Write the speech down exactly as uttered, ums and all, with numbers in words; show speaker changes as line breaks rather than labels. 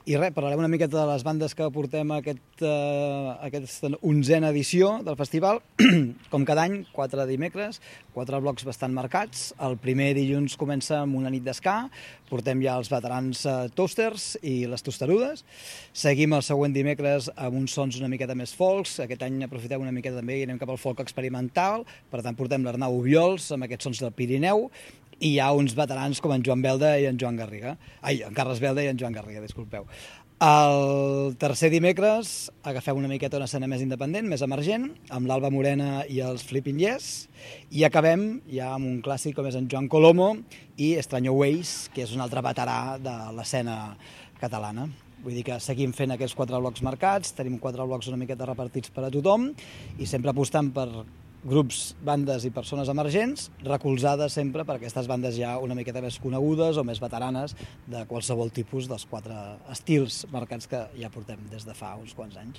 I res, parlarem una miqueta de les bandes que portem a aquest, uh, aquesta onzena edició del festival. Com cada any, quatre dimecres, quatre blocs bastant marcats. El primer dilluns comença amb una nit d'esca, portem ja els veterans uh, Toasters i les Tosterudes. Seguim el següent dimecres amb uns sons una miqueta més folks. Aquest any aprofitem una miqueta també i anem cap al folk experimental. Per tant, portem l'Arnau Obiols amb aquests sons del Pirineu. I hi ha uns veterans com en Joan Belda i en Joan Garriga. Ai, en Carles Belda i en Joan Garriga, disculpeu. El tercer dimecres agafem una miqueta una escena més independent, més emergent, amb l'Alba Morena i els Flipping Yes, i acabem ja amb un clàssic com és en Joan Colomo i Estranyo Ways, que és un altre veterà de l'escena catalana. Vull dir que seguim fent aquests quatre blocs marcats, tenim quatre blocs una miqueta repartits per a tothom i sempre apostant per grups, bandes i persones emergents, recolzades sempre per aquestes bandes ja una miqueta més conegudes o més veteranes de qualsevol tipus dels quatre estils marcats que ja portem des de fa uns quants anys.